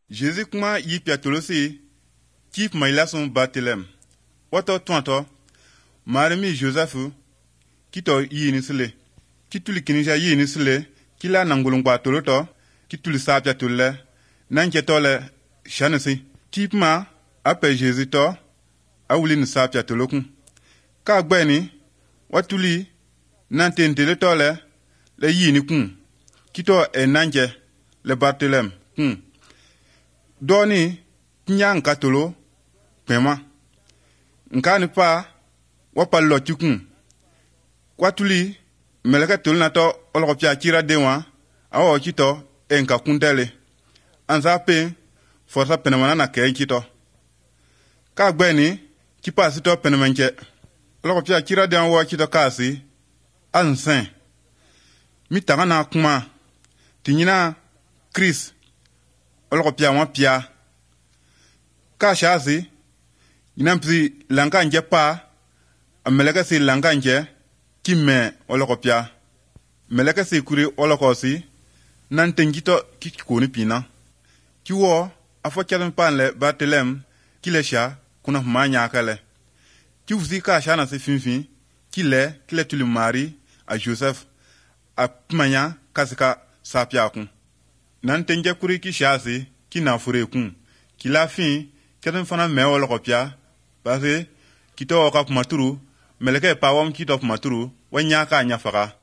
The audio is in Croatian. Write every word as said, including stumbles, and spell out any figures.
Jésus kuma yi piatolosi kip mailason Batelem. Wato tuanto marimi Joseph kito yi nisile. Kituli kinisha yi nisile kila nangulungwa toloto kituli sa piatole nanke tole shanesi. Kip ma ape Jésus to awuli ni sa piatolokun. Ka gbeni watuli nantentele tole le yi ni kun. Kito e nanke le Batelem kun. Doni nya nka tolo pema nka ni pa wapa lo tikun kwatuli meleka tolo na to oloko pia kira dewa awo kito enka kundele anza pe forsa penemana na ke kito ka gbeni kipa sito penemenke oloko pia kira dewa wo kito kasi ansen mi taga na kuma tinyina Chris oloko pia wa pia ka shazi inampsi langa nje pa ameleka si langa nje kime oloko pia meleka si kuri oloko si nantengito kikoni pina kiwo afo kyadan panle Batelem kilesha kuna manya kale kiwusi ka shana si finfin kile kile tuli mari a Joseph a pmanya kasika sapia kun nantenge kuri ki shazi ki na fure kun ki la fin keden fana me wala kopia parce kito ka maturu meleke pa wam kito maturu wanya ka nya faka